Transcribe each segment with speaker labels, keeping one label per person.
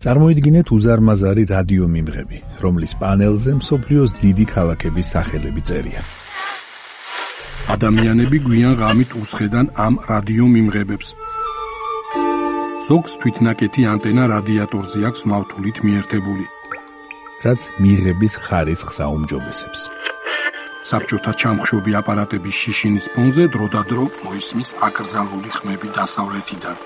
Speaker 1: წარმოიდგინეთ უზარმაზარი რადიო მიმღები, რომლის პანელზე მსოფლიოს დიდი ქალაქების სახელები წერია.
Speaker 2: ადამიანები გვიან ღამით უსხედან ამ რადიო მიმღებებს. ზოგს თვითნაკეთი ანტენა რადიატორზე აქვს მავთულით მიერთებული,
Speaker 1: რაც მიღების ხარისხს აუმჯობესებს.
Speaker 2: საბჭოთა ჩამხშობი აპარატების შიშინის ფონზე დროდადრო მოისმის აკრძალული ხმები დასავლეთიდან.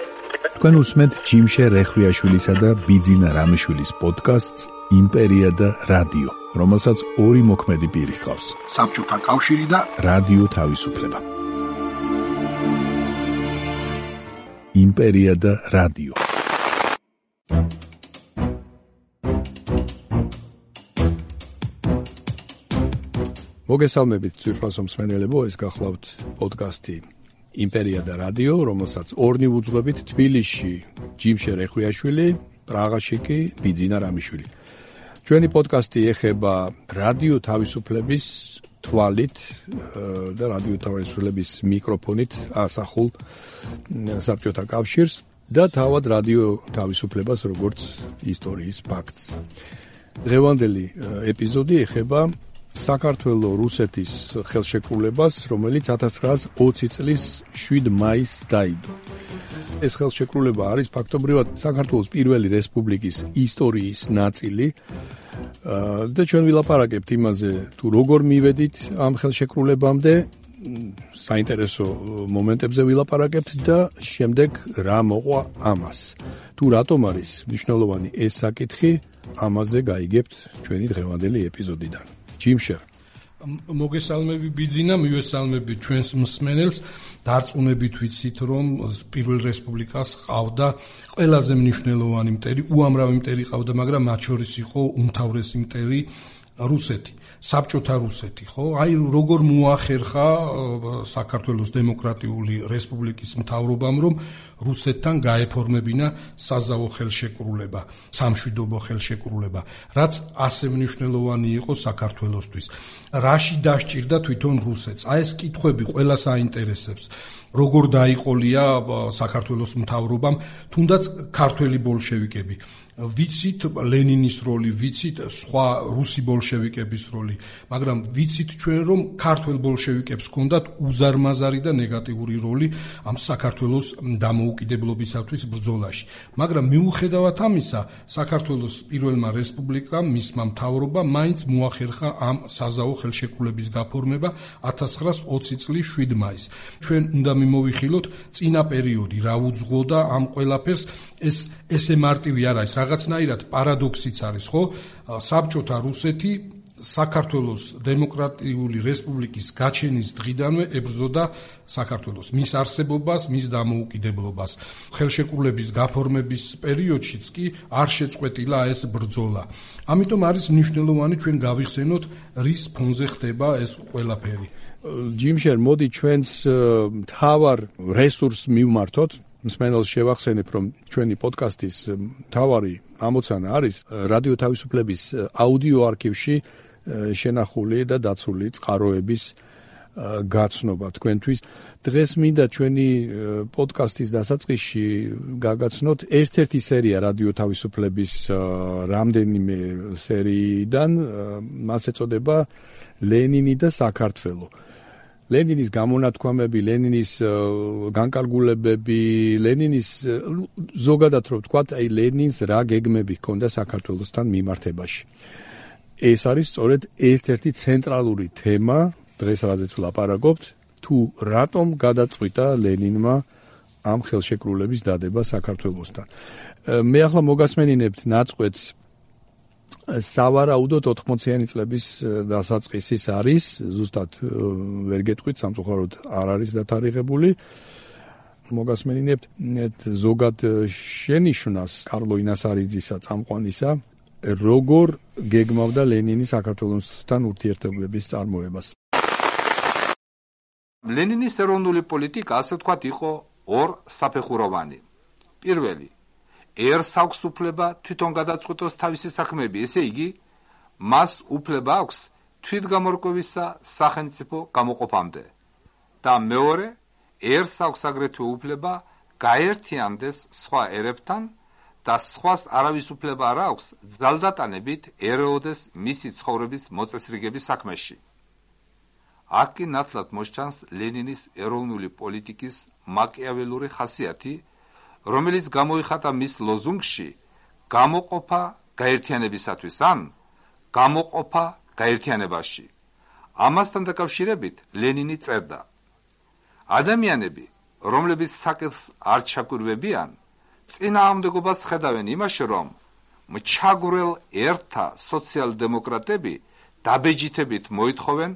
Speaker 1: თქვენ უსმენთ ჯიმშე რეხვიაშვილისა და ბიძინა რამიშვილის პოდკასტს იმპერია და რადიო, რომელსაც ორი მოქმედი პირი ჰყავს.
Speaker 2: საბჭოთა კავშირი და
Speaker 1: რადიო თავისუფლება. იმპერია და რადიო. მოგესალმებით ძვირფასო მსმენელებო, ეს გახლავთ პოდკასტი იმპერია და რადიო, რომელსაც ორნი ვუძღვებით თბილისში ჯიმშე რეხვიაშვილი, პრაღაში კი ბიძინა რამიშვილი. ჩვენი პოდკასტი ეხება რადიო თავისუფლების თვალით და რადიო თავისუფლების მიკროფონით ასახულ საბჭოთა კავშირს და თავად რადიო თავისუფლებას როგორც ისტორიის ფაქტს. დღევანდელი ეპიზოდი ეხება საქართველო-რუსეთის ხელშეკრულებას, რომელიც 1920 წლის 7 მაისს დაიდო. ეს ხელშეკრულება არის ფაქტობრივად საქართველოს პირველი რესპუბლიკის ისტორიის ნაწილი და ჩვენ ვილაპარაკებთ იმაზე, თუ როგორ მივედით ამ ხელშეკრულებამდე, საინტერესო მომენტებზე ვილაპარაკებთ და შემდეგ რა მოყვა ამას. თუ რატომ არის მნიშვნელოვანი ეს საკითხი, ამაზე გაიგებთ ჩვენი დღევანდელი ეპიზოდიდან. ჯიმშე,
Speaker 2: მოგესალმები ბიძინა, მივესალმები ჩვენს მსმენელს. დარწმუნებით ვიცით, რომ პირველ რესპუბლიკას ყავდა ყველაზე მნიშვნელოვანი მტერი, უამრავი მტერი ყავდა, მაგრამ მათ შორის იყო უმთავრესი მტერი რუსეთი, საბჭოთა რუსეთი, ხო? აი როგორ მოახერხა საქართველოს დემოკრატიული რესპუბლიკის მთავრობამ, რომ რუსეთთან გაეფორმებინა საზავო ხელშეკრულება, სამშვიდობო ხელშეკრულება, რაც ასე მნიშვნელოვანი იყო საქართველოსთვის. რაში დასჭირდა თვითონ რუსეთს? აი ეს კითხვები ყველას აინტერესებს. როგორ დაიყოლია საქართველოს მთავრობამ, თუნდაც ქართველი ბოლშევიკები. ვიცით ლენინის როლი, ვიცით სხვა რუსი ბოლშევიკების როლი, მაგრამ ვიცით ჩვენ, რომ ქართველ ბოლშევიკებს ჰქონდათ უზარმაზარი და ნეგატიური როლი ამ საქართველოს დამოუკიდებლობისათვის ბრძოლაში. მაგრამ მიუხედავად ამისა, საქართველოს პირველმა რესპუბლიკამ, მისმა მთავრობამ მაინც მოახერხა ამ საზავო ხელშეკრულების გაფორმება 1920 წლის 7 მაისს. ჩვენ უნდა მიმოვიხილოთ წინა პერიოდი, რა უძღვოდა ამ ყველაფერს, ესე მარტივი არ არის, რაღაცნაირად პარადოქსიც არის, ხო? საბჭოთა რუსეთი საქართველოს დემოკრატიული რესპუბლიკის გაჩენის დღიდანვე ებრძოდა საქართველოს, მის არსებობას, მის დამოუკიდებლობას. ხელშეკრულების გაფორმების პერიოდშიც კი არ შეწყვეტილა ეს ბრძოლა. ამიტომ არის მნიშვნელოვანი ჩვენ გავიხსენოთ, რის ფონზე ხდება ეს ყველაფერი.
Speaker 1: ჯიმშე, მოდი ჩვენს მთავარ რესურსს მივმართოთ. მსმენელს შევახსენებ, რომ ჩვენი პოდკასტის მთავარი ამოცანა არის რადიო თავისუფლების აუდიო არქივში შენახული და დაცული წყაროების გაცნობა თქვენთვის. დღეს მინდა ჩვენი პოდკასტის დასაწყისში გაგაცნოთ ერთ-ერთი სერია რადიო თავისუფლების რამდენიმე სერიიდან, მას ეწოდება ლენინი და საქართველო. ლენინის გამონათქვამები, ლენინის განკარგულებები, ლენინის ზოგადად რომ ვთქვათ, აი ლენინს რა გეგმები ჰქონდა საქართველოსთან მიმართებაში. ეს არის სწორედ ერთ-ერთი ცენტრალური თემა, დღეს რაზეც ვლაპარაკობთ, თუ რატომ გადაწყვიტა ლენინმა ამ ხელშეკრულების დადება საქართველოსთან. მე ახლა მოგასმენინებთ ნაწყვეტს სავარაუდოდ 80-იანი წლების დასაწყისის არის, ზუსტად ვერ გეტყვით, სამწუხაროდ არ არის დათარიღებული. მოგასმენინებთ ზოგად შენიშვნას კარლო ინასარიძისა წამყვანისა, როგორ გეგმავდა ლენინი საქართველოსთან ურთიერთობების წარმოებას.
Speaker 3: ლენინის ეროვნული პოლიტიკა, ასე ვთქვათ, იყო ორ საფეხუროვანი. პირველი, ერს აქვს უფლება თვითონ გადაწყვიტოს თავისი საქმეები, ესე იგი, მას უფლება აქვს თვითგამორკვევისა სახელმწიფო გამოყოფამდე. და მეორე, ერს აქვს აგრეთვე უფლება გაერთიანდეს სხვა ერებთან და სხვას არავის უფლება არ აქვს ძალდატანებით ერეოდეს მისი ცხოვრების მოწესრიგების საქმეში. აქ კი ნათლად მოსჩანს ლენინის ეროვნული პოლიტიკის მაკიაველური ხასიათი, რომელიც გამოიხატა მის ლოზუნგში გამოყოფა გაერთიანებისათვის ან გამოყოფა გაერთიანებაში. ამასთან დაკავშირებით ლენინი წერდა: ადამიანები, რომლებიც საკითხს არ ჩაკვირვებიან, წინააღმდეგობას ხედავენ იმაში, რომ მჩაგვრელ ერთა სოციალ-დემოკრატები დაბეჯითებით მოითხოვენ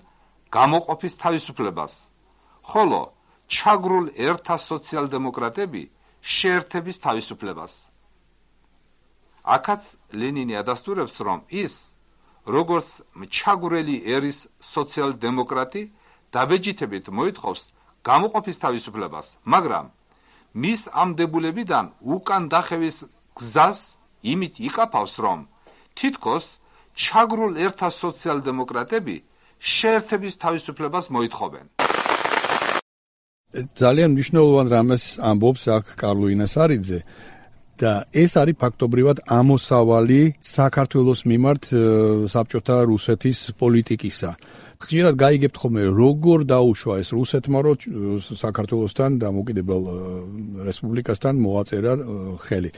Speaker 3: გამოყოფის თავისუფლებას, ხოლო ჩაგრულ ერთა სოციალ-დემოკრატები შეერთების თავისუფლებას. აქაც ლენინი ადასტურებს, რომ ის, როგორც მჩაგვრელი ერის სოციალ-დემოკრატი, დაბეჯითებით მოითხოვს გამოყოფის თავისუფლებას, მაგრამ მის ამ დებულებიდან უკან დახევის გზას იმით იკაფავს, რომ თითქოს ჩაგრულ ერთა სოციალ-დემოკრატები შეერთების თავისუფლებას მოითხოვენ.
Speaker 1: ძალიან მნიშვნელოვან რამეს ამბობს აქ კარლო ინასარიძე და ეს არის ფაქტობრივად ამოსავალი საქართველოს მიმართ საბჭოთა რუსეთის პოლიტიკისა. ხშირად გაიგებთ ხოლმე როგორ დაუშვა ეს რუსეთმა, რომ საქართველოსთან დამოუკიდებელ რესპუბლიკასთან მოაწერა ხელი.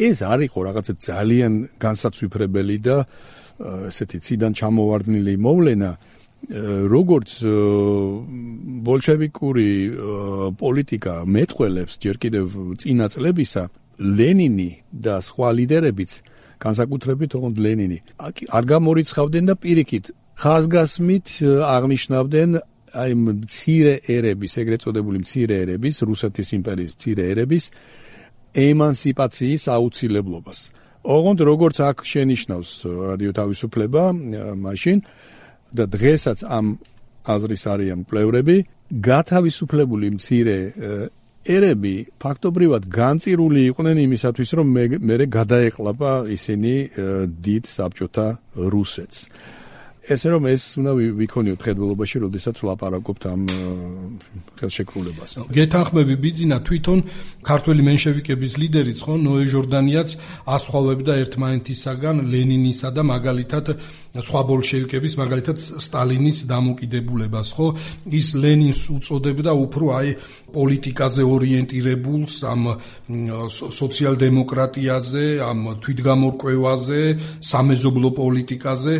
Speaker 1: ეს არის ხო რაღაცა ძალიან განსაცვიფრებელი და ესეთი ციდან ჩამოვარდნილი მოვლენა, როგორც ბოლშევიკური პოლიტიკა მეტყველებს ჯერ კიდევ წინა წლებისა, ლენინი და სხვა ლიდერებიც, განსაკუთრებით თუნდაც ლენინი, არ გამორიცხავდნენ და პირიქით ხაზგასმით აღნიშნავდნენ აი მცირე ერების, ეგრეთ წოდებული მცირე ერების, რუსეთის იმპერიის მცირე ერების ემანსიპაციის აუცილებლობას. ოღონდ როგორც აქ შენიშნავს რადიო თავისუფლება მაშინ და დღესაც ამ აზრის არიან მკვლევრები, გათავისუფლებული მცირე ერები ფაქტობრივად განწირული იყვნენ იმისათვის, რომ მერე გადაეყლაპა ისინი დიდ საბჭოთა რუსეთს. ესე რომ ეს უნდა ვიქონიოთ ხედველობაში, როდესაც ვლაპარაკობთ ამ ხელშეკრულებას.
Speaker 2: გეთანხმები ბიძინა თვითონ ქართველი მენშევიკების ლიდერიც ხო ნოე ჟორდანიაც ასხვავებდა ერთმანეთისაგან ლენინისა და მაგალითად სხვა ბოლშევიკების, მაგალითად სტალინის დამოკიდებულებას, ხო? ის ლენინს უწოდებდა უფრო აი პოლიტიკაზე ორიენტირებულს, ამ სოციალ-დემოკრატიაზე, ამ თვითგამორკვევაზე, სამეზობლო პოლიტიკაზე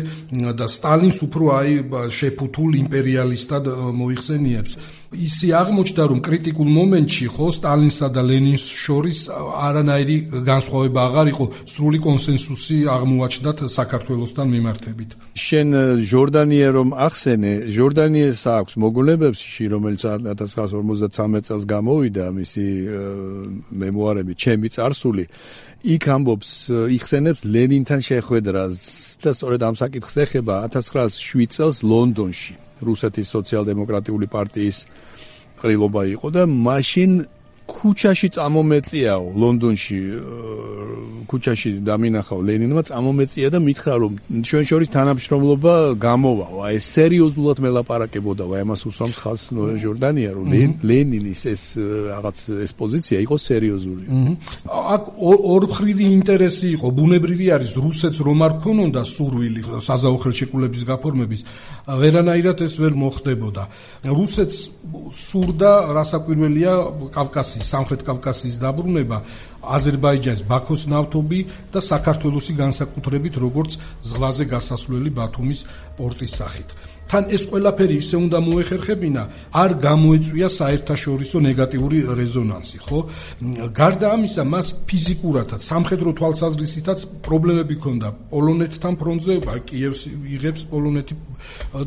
Speaker 2: და სტალინს უფრო აი შეფუთულ იმპერიალისტად მოიხსენიებს. ისი აღმოჩნდა, რომ კრიტიკულ მომენტში ხო სტალინსა და ლენინს შორის არანაირი განსხვავება აღარ იყო, სრული კონსენსუსი აღმოაჩნდათ საქართველოსთან მიმართებით.
Speaker 1: შენ ჟორდანია რომ ახსენე, ჟორდანიას აქვს მოგონებებში, რომელიც 1953 წელს გამოვიდა, მისი მემუარები ჩემი წარსული, იქ ამბობს, იხსენებს ლენინთან შეხვედრას და სწორედ ამ საკითხს ეხება 1907 წელს ლონდონში. რუსეთის სოციალ-დემოკრატიული პარტიის ყრილობა იყო და მაშინ ქუჩაში წამომეწიაო ლონდონში ქუჩაში დამინახაო ლენინმა წამომეწია და მითხრა რომ ჩვენ შორის თანამშრომლობა გამოვაო. აი სერიოზულად მელაპარაკებოდა, აი ამას უსვამს ხაზს ჟორდანია, რომ ლენინის ეს რაღაც ეს პოზიცია იყო სერიოზული.
Speaker 2: აქ ორმხრივი ინტერესი იყო, ბუნებრივი არის რუსეთს რომ არ ქონოდა სურვილი საზავო ხელშეკრულების გაფორმების, ვერანაირად ეს ვერ მოხდებოდა. რუსეთს სურდა რასაკვირველია კავკასიის, სამხრეთ კავკასიის დაბრუნება, აზერბაიჯანის ბაქოს ნავთობი და საქართველოსი განსაკუთრებით როგორც ზღვაზე გასასვლელი ბათუმის პორტის სახით. თან ეს ყველაფერი ისე უნდა მოეხერხებინა, არ გამოეწვია საერთაშორისო ნეგატიური რეზონანსი, ხო? გარდა ამისა, მას ფიზიკურადაც, სამხედრო თვალსაზრისითაც პრობლემები ჰქონდა. პოლონეთთან ფრონტზე, კიევს იღებს პოლონეთი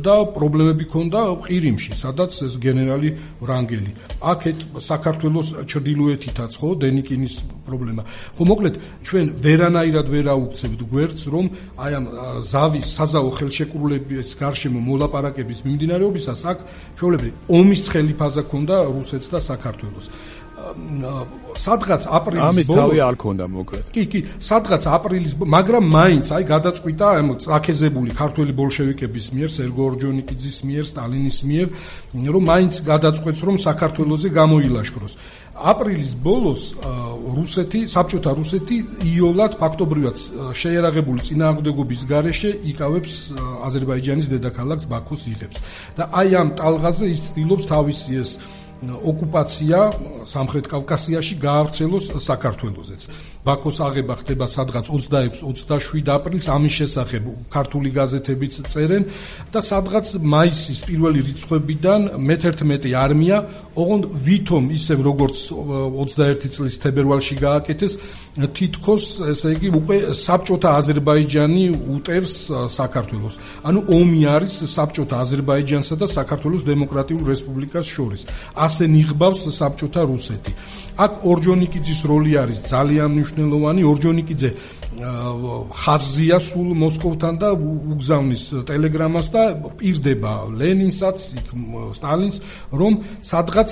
Speaker 2: და პრობლემები ჰქონდა ყირიმში, სადაც ეს გენერალი ვრანგელი. აქეთ საქართველოს ჩრდილოეთითაც, ხო, დენიკინის პრობლემა. ხო, მოკლედ, ჩვენ ვერანაირად ვერ აუქცევთ გვერდს, რომ აი ამ ზავის საზავო ხელშეკრულების გარშემო მოლაპარაკების მიმდინარეობისას აქ ჩვეულებრივ ომის ხელი ფაზა ქონდა რუსეთს და საქართველოს. სადღაც აპრილის
Speaker 1: ამის თავი არ ქონდა მოკლედ.
Speaker 2: კი, სადღაც აპრილის, მაგრამ მაინც გადაწყვიტა წაქეზებული ქართველი ბოლშევიკების მიერ, სერგო ორჯონიკიძის მიერ, სტალინის მიერ, რომ მაინც გადაწყვეტს, რომ საქართველოზე გამოილაშქროს. აპრილის ბოლოს საბჭოთა რუსეთი იოლად ფაქტობრივად შეერაღებული წინააღმდეგობის გარეშე იკავებს აზერბაიჯანის დედაქალაქს ბაქოს იღებს. და აი ამ ტალღაზე ის ცდილობს თავისი ეს ოკუპაცია სამხრეთ კავკასიაში გაავრცელოს საქართველოსეც. ბაქოს აღება ხდება სადღაც 26-27 აპრილს, ამის შესახებ ქართული გაზეთებიც წერენ და სადღაც მაისის პირველი რიცხვებიდან მე-11 არმია, ოღონდ ვითომ ისევ როგორც 21 წლის თებერვალში გააკეთეს, თითქოს, ესე იგი, უკვე საბჭოთა აზერბაიჯანი უტერს საქართველოს. ანუ ომი არის საბჭოთა აზერბაიჯანსა და საქართველოს დემოკრატიულ რესპუბლიკას შორის. ასე ნიღბავს საბჭოთა რუსეთი. აქ ორჯონიკიძის როლი არის ძალიან მნიშვნელოვანი. ორჯონიკიძე ხაზზია სულ მოსკოვთან და უგზავნის ტელეგრამას და პირდება ლენინსაც, სტალინს, რომ სადღაც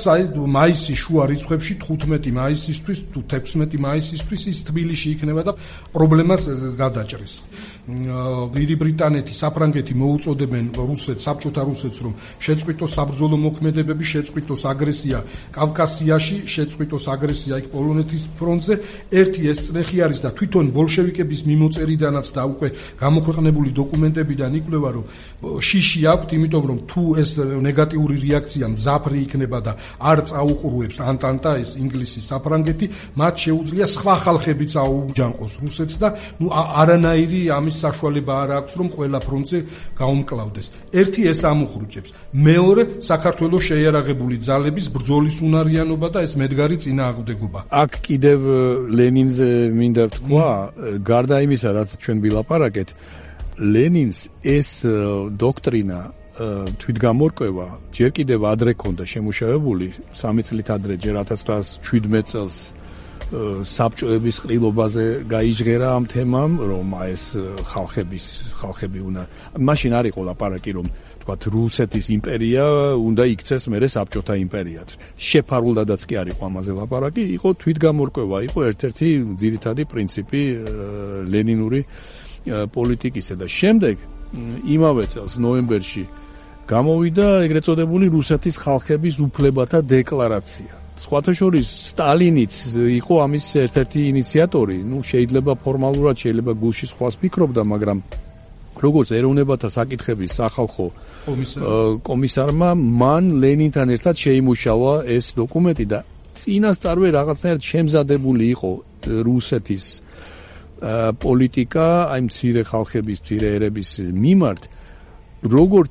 Speaker 2: მაისის შუა რიცხვებში 15 მაისისთვის თუ 16 მაისისთვის ის თბილისში იქნება და პრობლემას გადაჭრის. დიდი ბრიტანეთი, საფრანგეთი მოუწოდებენ რუსეთს, საბჭოთა რუსეთს, რომ შეწყვიტოს საბრძოლო მოქმედებები, შეწყვიტოს აგრესია კავკასიაში, შეწყვიტოს აგრესია იქ პოლონეთის ფრონტზე. ერთი ეს წრეხი არის და თვითონ ბოლშევიკების მიმოწერიდანაც და უკვე გამოქვეყნებული დოკუმენტებიდან იკვლევა, რომ შიში აქვთ, იმიტომ რომ თუ ეს ნეგატიური რეაქცია მძაფრი იქნება და არ წაუყურებს ანტანტა, ეს ინგლისი, საფრანგეთი, მათ შეუძლია სხვა ხალხებიც აუჯანყოს რუსეთს და არანაირი ამის საშუალება არ აქვს, რომ ყველა ფრონტზე გაუმკლავდეს. ერთი ეს ამუხრუჭებს. მეორე, საქართველოს შეიარაღებული ძალების ბრძოლის უნარიანობა და ეს მედგარი წინააღმდეგობა.
Speaker 1: აქ კიდევ ლენინზე მინდა ვთქვა, გარდა იმისა, რაც ჩვენ ვილაპარაკეთ, ლენინს ეს დოქტრინა თვითგამორკვევა ჯერ კიდევ ადრე ქონდა შემუშავებული, 3 წლით ადრე, ჯერ 1917 წელს საბჭოების ყრილობაზე გაიჟღერა ამ თემამ, რომ ეს ხალხები უნდა მაშინ არ იყო ლაპარაკი, რომ თქვათ რუსეთის იმპერია უნდა იქცეს მერე საბჭოთა იმპერიად. შეფარულადაც კი არ იყო ამაზე ლაპარაკი, იყო თვითგამორკვევა, იყო ერთ-ერთი ძირითადი პრინციპი ლენინური პოლიტიკისა და შემდეგ იმავე წელს ნოემბერში გამოვიდა ეგრეთ წოდებული რუსეთის ხალხების უფლებათა დეკლარაცია. სხვათა შორის სტალინიც იყო ამის ერთ-ერთი ინიციატორი. შეიძლება ფორმალურად, შეიძლება გულში სხვას ფიქრობდა, მაგრამ როგორც ეროვნებათა საკითხების სახალხო კომისარმა, მან ლენინთან ერთად შეიმუშავა ეს დოკუმენტი და წინასწარვე რაღაცნაირად შემზადებული იყო რუსეთის პოლიტიკა აი მცირე ხალხების, მცირე ერების მიმართ. როგორც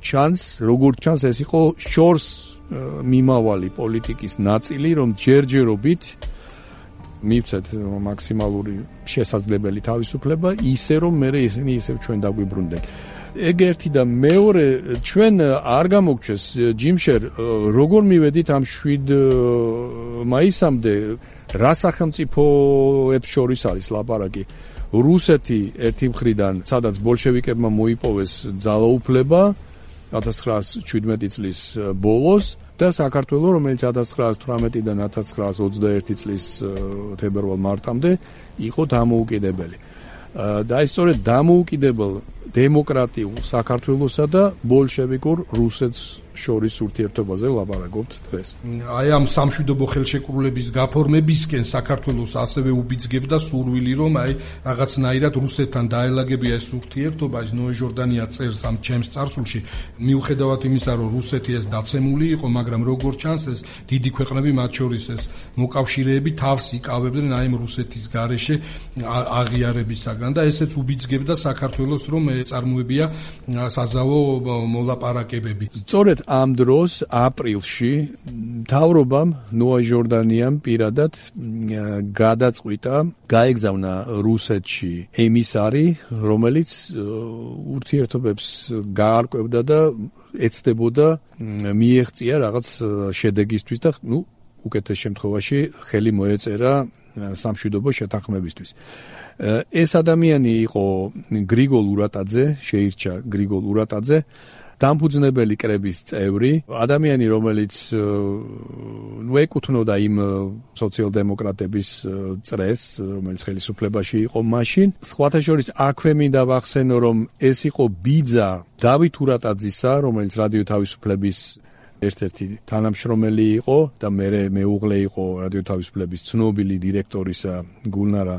Speaker 1: ჩანს, ეს იყო შორს მიმავალი პოლიტიკის ნაწილი, რომ ჯერჯერობით მივცეთ მაქსიმალური შესაძლებელი თავისუფლება, ისე რომ მე ისინი ისევ ჩვენ დაგვიბრუნდნენ. ეგ ერთი და მეორე, ჩვენ არ გამოგვჩეს ჯიმშერ, როგორ მივედით ამ 7 მაისამდე, რა სახელმწიფოებს შორის არის ლაპარაკი. რუსეთი ერთი მხრიდან, სადაც ბოლშევიკებმა მოიპოვეს ძალაუფლება 1917 წლის ბოლოს და საქართველოს, რომელიც 1918-დან 1921 წლის თებერვალ-მარტამდე იყო დამოუკიდებელი. და ეს სწორედ დამოუკიდებელ დემოკრატიულ საქართველოსა და ბოლშევიკურ რუსეთს შორის ურთიერთობაზე ვლაპარაკობთ დღეს.
Speaker 2: აი ამ სამშვიდობო ხელშეკრულების გაფორმებისკენ საქართველოს ასევე უბიძგებდა სურვილი, რომ აი რაღაცნაირად რუსეთთან დაელაგებია ეს ურთიერთობა. ის ნოე ჟორდანია წერს ამ ჩემს წარსულში, მიუხედავად იმისა, რომ რუსეთი ეს დაცემული იყო, მაგრამ როგორც ჩანს, ეს დიდი ქვეყნები, მათ შორის ეს მოკავშირეები თავს იკავებდნენ აი ამ რუსეთის გარეშე აღიარებისაგან და ესეც უბიძგებდა საქართველოს, რომ წარმოებია საზავო მოლაპარაკებები.
Speaker 1: სწორედ ამ დროს აპრილში მთავრობამ ნოე ჟორდანიამ პირადად გადაწყვიტა გაეგზავნა რუსეთში ემისარი, რომელიც ურთიერთობებს გაარკვევდა და ეცდებოდა მიეღწია რაღაც შედეგისთვის და უკეთეს შემთხვევაში ხელი მოეწერა სამშვიდობო შეთანხმებისთვის. ეს ადამიანი იყო გრიგოლ ურატაძე, შეირჩა გრიგოლ ურატაძე დამფუძნებელი კრების წევრი, ადამიანი, რომელიც ეკუთვნოდა იმ სოციალ-დემოკრატების წრეს, რომელიც ხელისუფლებაში იყო მაშინ. სხვათა შორის აქვე მინდა ვახსენო, რომ ეს იყო ბიძა დავით ურატაძისა, რომელიც რადიო თავისუფლების ერთ-ერთი თანამშრომელი იყო და მეუღლე იყო რადიო თავისუფლების ცნობილი დირექტორისა გულნარა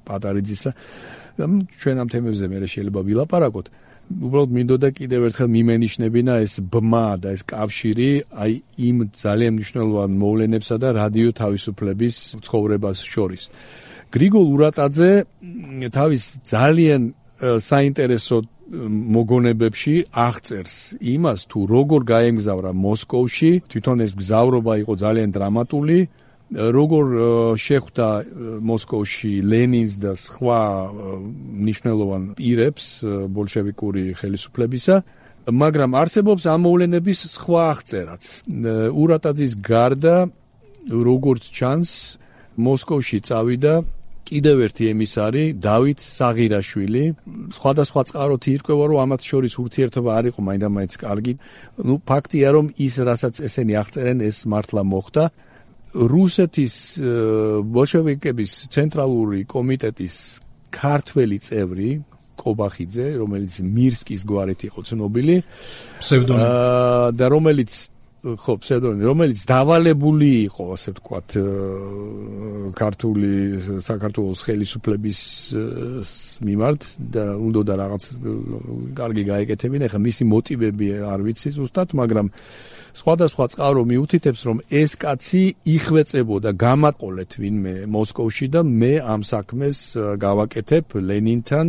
Speaker 1: პატარიძისა. ჩვენ ამ თემებზე მე შეიძლება ვილაპარაკოთ. უბრალოდ მინდოდა კიდევ ერთხელ მიმენიშნებინა ეს ბმა და ეს კავშირი აი იმ ძალიან მნიშვნელოვან მოვლენებსა და რადიო თავისუფლების ცხოვრებას შორის. გრიგოლ ურატაძე თავის ძალიან საინტერესო მოგონებებში აღწერს იმას, თუ როგორ გაემგზავრა მოსკოვში, თვითონ ეს გზავრობა იყო ძალიან დრამატული, როგორ შეხვდა მოსკოვში ლენინს და სხვა მნიშვნელოვან პირებს ბოლშევიკური ხელისუფლებისა, მაგრამ არსებობს ამ მოვლენების სხვა აღწერაც. ურატაძის გარდა, როგორც ჩანს, მოსკოვში წავიდა კიდევ ერთი ემისარი, დავით საღირაშვილი. სხვადასხვა წყაროთი ირკვევა, რომ ამათ შორის ურთიერთობა არ იყო მაინდა-მაინც კარგი. ფაქტია, რომ ის, რასაც ესენი აღწერენ, ეს მართლა მოხდა. რუსეთის ბოლშევიკების ცენტრალური კომიტეტის ქართველი წევრი კობახიძე, რომელიც მირსკის გვარით იყო ცნობილი, და რომელიც დავალებული იყო, ასე ვთქვათ, ქართული საქართველოს ხელისუფლების მიმართ და უნდა რაღაც კარგი გაეკეთებინა. ეხლა მისი მოტივები არ ვიცი ზუსტად, მაგრამ სხვადასხვა წყარო მიუთითებს, რომ ეს კაცი იხვეწებოდა გამაყოლეთ ვინმე მოსკოვში და მე ამ საქმეს გავაკეთებ ლენინთან,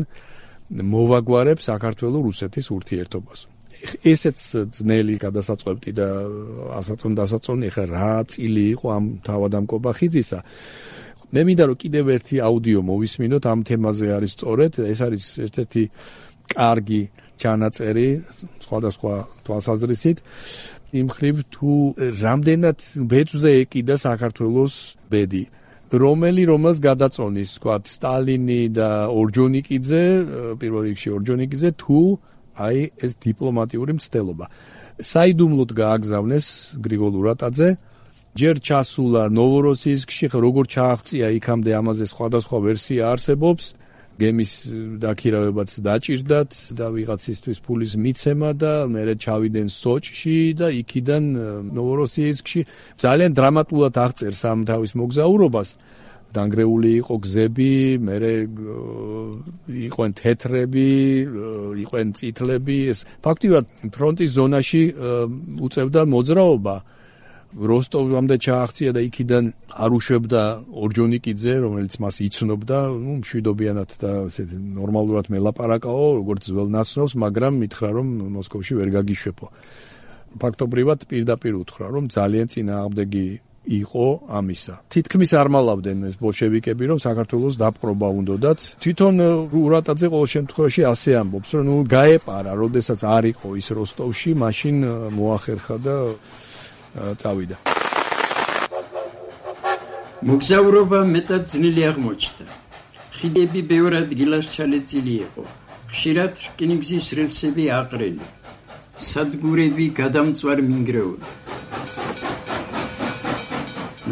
Speaker 1: მოვაგვარებ საქართველო-რუსეთის ურთიერთობას. ესეც ძნელი გადასაწყვეტი და დასაწონი, ეხლა რა წილი იყო ამ თავად ამ კობახიძისა. მე მინდა რომ კიდევ ერთი აუდიო მოვისმინოთ ამ თემაზე არის სწორედ, ეს არის ერთ-ერთი კარგი ჩანაწერი სხვადასხვა თვალსაზრისით. იმ ხრივ თუ რამდენად ბეწვზე ეკიდა საქართველოს ბედი, რომელს გადაწონის, ვთქვათ, სტალინი და ორჯონიკიძე, პირველ რიგში ორჯონიკიძე, თუ აი ეს დიპლომატიური მცდელობა. საიდუმლოდ გააგზავნეს გრიგოლ ურატაძე, ჯერ ჩასულა ნოვოროსიისკში, როგორ ჩააღწია იქამდე ამაზე სხვადასხვა ვერსია არსებობს. გემის დაქირავებაც დაჭირდათ და ვიღაცისთვის ფულის მიცემა და მერე ჩავიდნენ სოჭში და იქიდან ნოვოროსიისკში. ძალიან დრამატულად აღწერს ამ თავის მოგზაურობას. დანგრეული იყო გზები, მერე იყვენ თეთრები, იყვენ წითლები. ფაქტიურად ფრონტის ზონაში უწევდა მოძრაობა. როსტოვამდე ჩააღწია და იქიდან არ უშვებდა ორჯონიკიძე, რომელიც მას იცნობდა, მშვიდობიანად და ესეთი ნორმალურად მელაპარაკაო, როგორც ძველ ნაცნობს, მაგრამ მითხრა, რომ მოსკოვში ვერ გაგიშვებო. ფაქტობრივად პირდაპირ უთხრა, რომ ძალიან წინააღმდეგი იყო ამისა. თითქმის არ მალავდნენ ეს ბოლშევიკები, რომ საქართველოს დაპყრობა უნდათ. თვითონ ურატაძე ყოველ შემთხვევაში ასე ამბობს, რომ გაეპარა, როდესაც არ იყო ის როსტოვში, მაშინ მოახერხა და წავიდა.
Speaker 4: მოგზაურობა მეტად ძნელი აღმოჩნდა. ხიდები ბევრ ადგილას ჩალეწილი იყო. ხშირად რკინიგზის რელსები აყრილი. სადგურები გადამწვარ მინგრეული.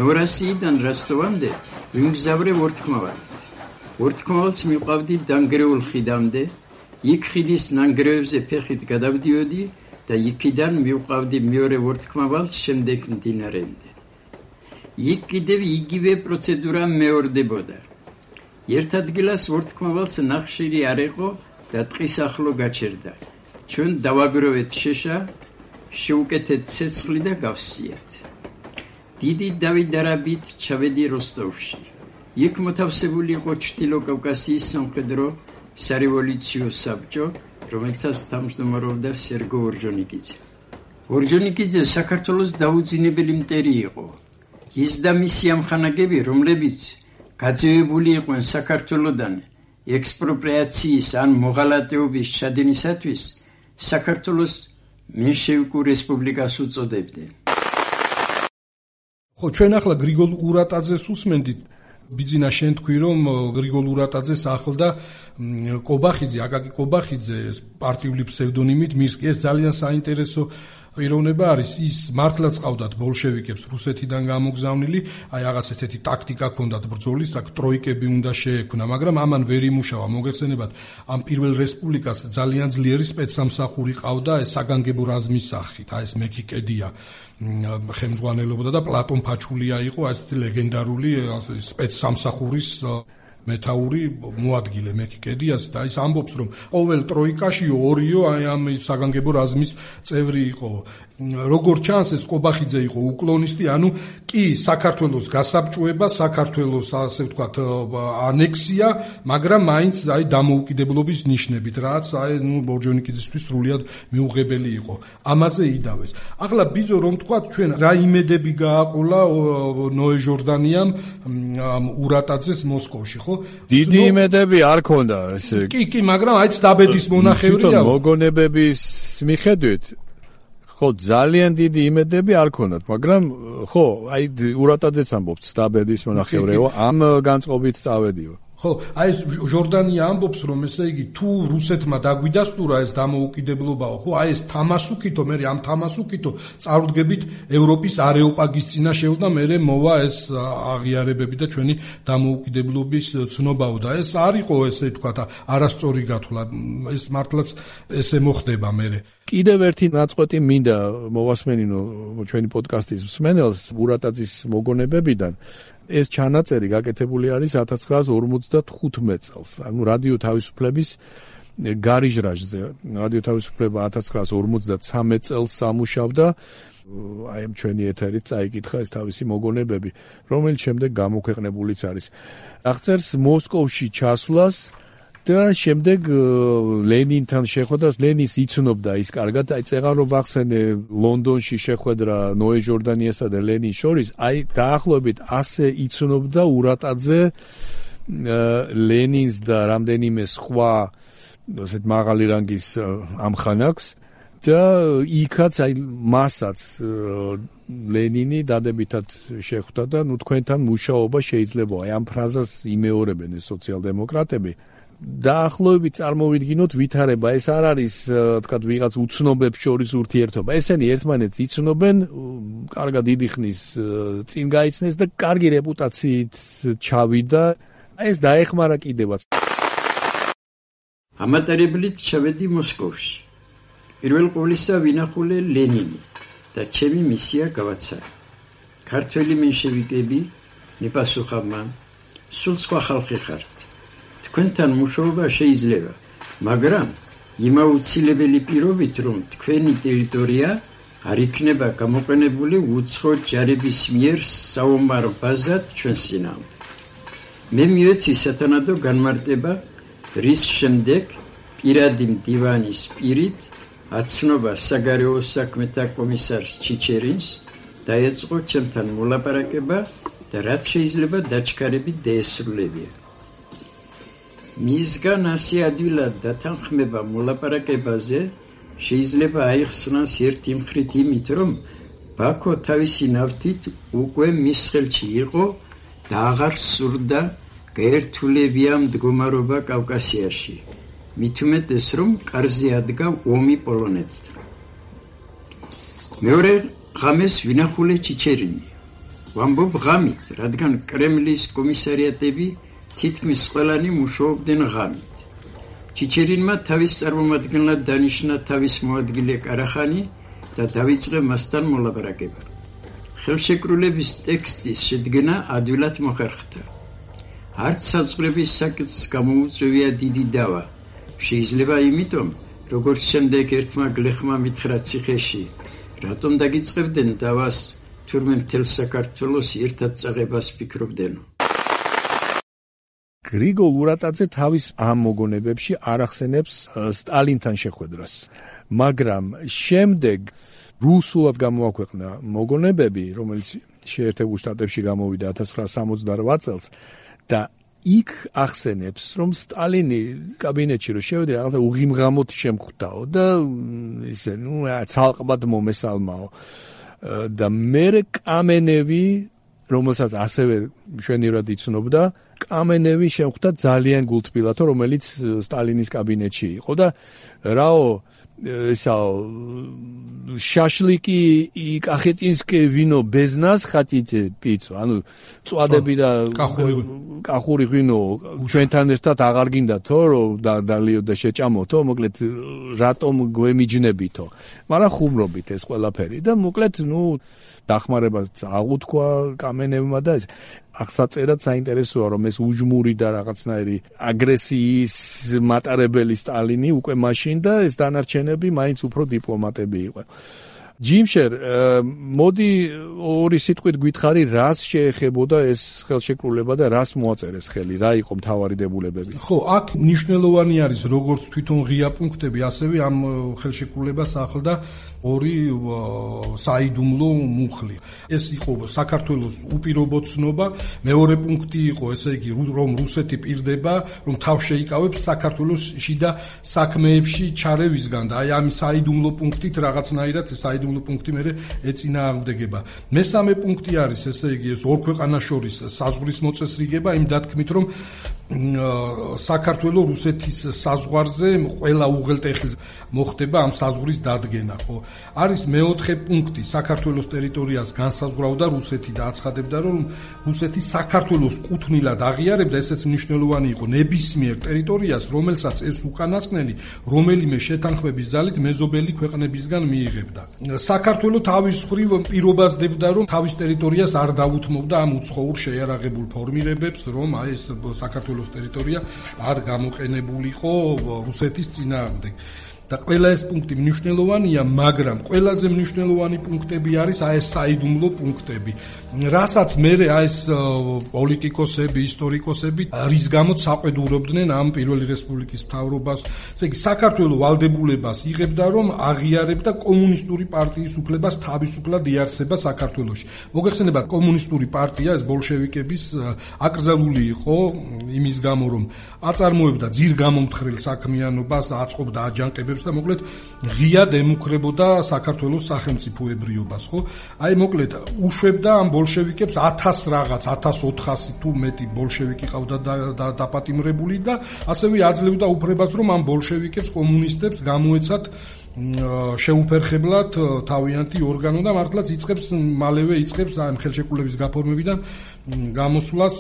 Speaker 4: ნოვოროსიიდან როსტოვამდე ვიმგზავრე ორთქმავალით. ორთქმავალს მივყავდი დანგრეულ ხიდამდე, იქ ხიდის ნანგრევებზე ფეხით გადავდიოდი და იქიდან მივყავდი მეორე ორთქმავალს შემდეგ მდინარემდე. იქ კიდევ იგივე პროცედურა მეორდებოდა. ერთ ადგილას ორთქმავალს ნახშირი არ იყო და ტყის ახლო გაჩერდა. ჩვენ დავაგროვეთ შეშა, შევუკეთეთ ცეცხლი და გავსიათ. დიდი დავითარებით ჩავედი როსტოვში. იქ მოთავსებული იყო ჩრდილო კავკასიის სამხედრო სარევოლუციო საბჭო, რომელსაც თავმჯდომარეობდა სერგო ორჯონიკიძე. ორჯონიკიძე საქართველოს დაუძინებელი მტერი იყო. ის და მისი ამხანაგები, რომლებიც გაძევებული იყვნენ საქართველოდან ექსპროპრიაციის ან მოღალატეობის ჩადენისათვის, საქართველოს მენშევიკურ რესპუბლიკას უწოდებდნენ.
Speaker 2: ხო, ჩვენ ახლა გრიგოლ ურატაძეს უსმენდით. ბიძინა შენ თქვი რომ გრიგოლ ურატაძეს ახლდა კობახიძე, აკაკი კობახიძე პარტიული ფსევდონიმით მირსკი. ეს ძალიან საინტერესო პიროვნება არის. ის მართლაც ყავდათ ბოლშევიკებს რუსეთიდან გამოგზავნილი, აი რაღაც ესეთი ტაქტიკა ჰქონდათ ბრძოლის, აქ ტროიკები უნდა შეექმნა, მაგრამ ამან ვერ იმუშავა. მოგეხსენებათ, ამ პირველ რესპუბლიკას ძალიან ძლიერი სპეცსამსახური ყავდა, ეს საგანგებო რაზმის სახით, აი ეს მეკიკედია ხელმძღვანელობდა და პლატონ ფაჩულია იყო ასეთი ლეგენდარული სპეცსამსახურის მეთაური მოადგილე მეკიკედიას და ის ამბობს რომ ყოველ ტროიკაში ორიო აი ამ საგანგებო რაზმის წევრი იყო. როგორც ჩანს ეს კობახიძე იყო უკლონისტი, ანუ კი საქართველოს გასაბჭოება, საქართველოს ასე ვთქვათ ანექსია, მაგრამ მაინც აი დამოუკიდებლობის ნიშნებით, რაც აი ბორჯონიკიძისთვის სრულიად მიუღებელი იყო. ამაზე იდავეს. ახლა ბიზო რომ ვთქვათ ჩვენ რა იმედები გააყოლა ნოე ჟორდანიამ ურატაძეს მოსკოვში, ხო?
Speaker 1: დიდი იმედები არ ქონდა ესე.
Speaker 2: კი, მაგრამ აი ცდაბედის მონახევრია.
Speaker 1: მოგონებების მიხედვით ხო ძალიან დიდი იმედები არ ქონდათ, მაგრამ ხო, აი ურატაძეც ამბობს ცდაბედის მონახევრეო, ამ განწყობით წავედიო.
Speaker 2: ხო, აი ეს ჟორდანია ამბობს რომ ესე იგი თუ რუსეთმა დაგვიდასტურა ეს დამოუკიდებლობაო, ხო, აი ეს თამასუკითო, მე ამ თამასუკითო წარუდგებით ევროპის არეოპაგის წინაშეო და მე მოვა ეს აღიარებები და ჩვენი დამოუკიდებლობის ცნობაო და ეს არ იყო ესე ვთქვათ არასწორი გათვლა, ეს მართლაც ესე მოხდება მე.
Speaker 1: კიდევ ერთი ნაწყვეტი მინდა მოვასმენინო ჩვენი პოდკასტის მსმენელს ურატაძის მოგონებებიდან. ეს ჩანაწერი გაკეთებული არის 1955 წელს, ანუ რადიო თავისუფლების გარიჟრაჟზე. რადიო თავისუფლება 1953 წელს სამუშავდა, აი ამ ჩვენი ეთერით წაიკითხა ეს თავისი მოგონებები, რომელიც შემდეგ გამოქვეყნებულიც არის. აღწერს მოსკოვში ჩასვლას და შემდეგ ლენინთან შეხვედრას. ლენინს იცნობდა ის კარგად, აი წეღარ რომ ვახსენე ლონდონში შეხვედრა ნოე ჟორდანიასა და ლენინს შორის, აი დაახლოებით ასე იცნობდა ურატაძე ლენინს და რამდენიმე სხვა ასეთ მაღალი რანგის ამხანაგს და იქაც აი მასაც ლენინი დადებითად შეხვდა და ნუ თქვენთან მუშაობა შეიძლება. აი ამ ფრაზას იმეორებენ ეს სოციალ-დემოკრატები. დაახლოებით წარმოვიდგინოთ ვითარება, ეს არ არის თქვათ ვიღაც უცნობებს შორის ურთიერთობა. ესენი ერთმანეთს იცნობენ, კარგად დიდი ხნის წინ გაიცნეს და კარგი რეპუტაციით ჩავიდა. ეს დაეხმარა კიდევაც.
Speaker 4: ამატარებლით ჩავედი მოსკოვში. პირველ ყოვლისა ვინახულე ლენინი და ჩემი მისია გავაცარი. ქართველი მენშევიკები მიპასუხა მან, სულ სხვა ხალხი ხართ. თქვენთან მუშაობა შეიძლება, მაგრამ იმაუცილებელი პირობით, რომ თქვენი ტერიტორია არ იქნება გამოყენებული უცხო ჯარების მიერ საომარ ბაზად ჩვენს წინააღმდეგ. მე მივეცი სათანადო განმარტება, რის შემდეგ პირადი მდივანის პირით აცნობა საგარეო საქმეთა კომისარს ჩიჩერინს დაეწყო ჩემთან მოლაპარაკება და რაც შეიძლება დაჩქარებით დაესრულებია. მისგან ასე ადვილად დათანხმება მოლაპარაკებაზე შეიძლება აიხსნას ერთი მხრით იმით, რომ ბაქო თავისი ნავთით უკვე მის ხელში იყო და აღარ სურდა გაერთულებია მდგომარეობა კავკასიაში. მით უმეტეს, რომ კარზე ადგა ომი პოლონეთთან. მეორე ღამეს ვინახულე ჩიჩერინი. ვამბობ ღამით, რადგან კრემლის კომისარიატები თითქმის ყველანი მუშაობდნენ ღამით. ჩიჩერინმა თავის წარმომადგენლად დანიშნა თავის მოადგილე კარახანი და დაიწყე მასთან მოლაპარაკება. ხელშეკრულების ტექსტის შედგენა ადვილად მოხერხდა. არც საზღვრების საკითხს გამოუწვევია დიდი დავა. შეიძლება იმიტომ, როგორც შემდეგ ერთმა გლეხმა მითხრა ციხეში, რატომ დაგიწყებდნენ დავას, თურმე მთელ საქართველოს ერთად წაღებას ფიქრობდენო.
Speaker 1: გრიგოლ ურატაძე თავის ამ მოგონებებში არ ახსენებს სტალინთან შეხვედრას, მაგრამ შემდეგ რუსულად გამოაქვეყნა მოგონებები, რომელიც შეერთებულ შტატებში გამოვიდა 1968 წელს და იქ ახსენებს, რომ სტალინი კაბინეტში რო შევიდა, რაღაცა უღიმღამოდ შემხვდაო და ისე, ცალკბად მომესალმაო. და მერე კამენევი რომელსაც ასევე მშვენივრად იცნობდა, კამენევი შეხვდა ძალიან გულთბილათო, რომელიც სტალინის კაბინეტში იყო და რაო შაშლიკი კახეტინსკი ვინო без нас хотите пить? ანუ წვადები და კახური ვინო ჩვენთან ერთად აღარ გინდათო, რომ დალიო და შეჭამოთო, მოკლედ რატომ გვემიჯნებითო? მაგრამ ხუმრობით ეს ყველაფერი და მოკლედ დახმარებას აღუთქვა კამენევმა და აღსაწერად საინტერესოა, რომ ეს უჯმური და რაღაცნაირი აგრესიის მატარებელი სტალინი უკვე მაშინ და ეს დანარჩენები მაინც უფრო დიპლომატები იყვნენ. ჯიმშერ, მოდი ორი სიტყვით გითხარი, რას შეეხებოდა ეს ხელშეკრულება და რას მოაწერეს ხელი, რა იყო მთავარი დებულებები?
Speaker 2: ხო, აქ მნიშვნელოვანი არის როგორც თვითონ ღია პუნქტები, ასევე ამ ხელშეკრულებას ახლდა ორი საიდუმლო მუხლი. ეს იყო საქართველოს უპირობო ცნობა, მეორე პუნქტი იყო, ესე იგი, რომ რუსეთი პირდება, რომ თავს შეიკავებს საქართველოს შიდა საქმეებში ჩარევისგან და აი ამ საიდუმლო პუნქტით რაღაცნაირად საიდუმლო პუნქტი მე ეწინააღმდეგება. მესამე პუნქტი არის, ესე იგი, ეს ორ ქვეყანას შორის საზღვრის მოწესრიგება, იმ დათქმით, რომ საქართველოს რუსეთის საზღვარზე ყველა უღელტეხილს მოხდება ამ საზღვრის დადგენა, ხო? არის მეოთხე პუნქტი, საქართველოს ტერიტორიას განსაზღვრავდა რუსეთი და აცხადებდა, რომ რუსეთი საქართველოს კუთვნილად აღიარებდა, ესეც მნიშვნელოვანი იყო, ნებისმიერ ტერიტორიას, რომელსაც ეს უკანასკნელი რომელიმე შეთანხმების ძალით მეზობელი ქვეყნებისგან მიიღებდა. საქართველოს თავის მხრივ პირობას დებდა, რომ თავის ტერიტორიას არ დაუთმობდა ამ უცხოურ შეიარაღებულ ფორმირებებს, რომ აი ეს საქართველოს ტერიტორია არ გამოყენებულიყო რუსეთის წინააღმდეგ. და ყველა ეს პუნქტი მნიშვნელოვანია, მაგრამ ყველაზე მნიშვნელოვანი პუნქტები არის აი ეს საიდუმლო პუნქტები, რასაც მერე აი ეს პოლიტიკოსები, ისტორიკოსები რის გამოც საყვედურობდნენ ამ პირველი რესპუბლიკის მთავრობას. ესე იგი, საქართველოს ვალდებულებას იღებდა, რომ აღიარებდა კომუნისტური პარტიის უფლებას თავისუფლად იარსება საქართველოში. მოგეხსენებათ, კომუნისტური პარტია, ეს ბოლშევიკების აკრძალული იყო იმის გამო, რომ აწარმოებდა ძირგამომთხრელ საქმიანობას, აწყობდა აჯანყებებს და მოკლედ ღიად ემუქრებოდა საქართველოს სახელმწიფოებრიობას, ხო? აი მოკლედ უშვებდა ამ ბოლშევიკებს 1000 რაღაც 1400 თუ მეტი ბოლშევიკი ყავდა დაპატიმრებული და ასევე აძლევდა უფლებას, რომ ამ ბოლშევიკებს კომუნისტებს გამოეცათ შეუფერხებლად თავიანთი ორგანო და მართლაც მალევე იწყებს ამ ხელშეკრულების გაფორმებიდან გამოსვლას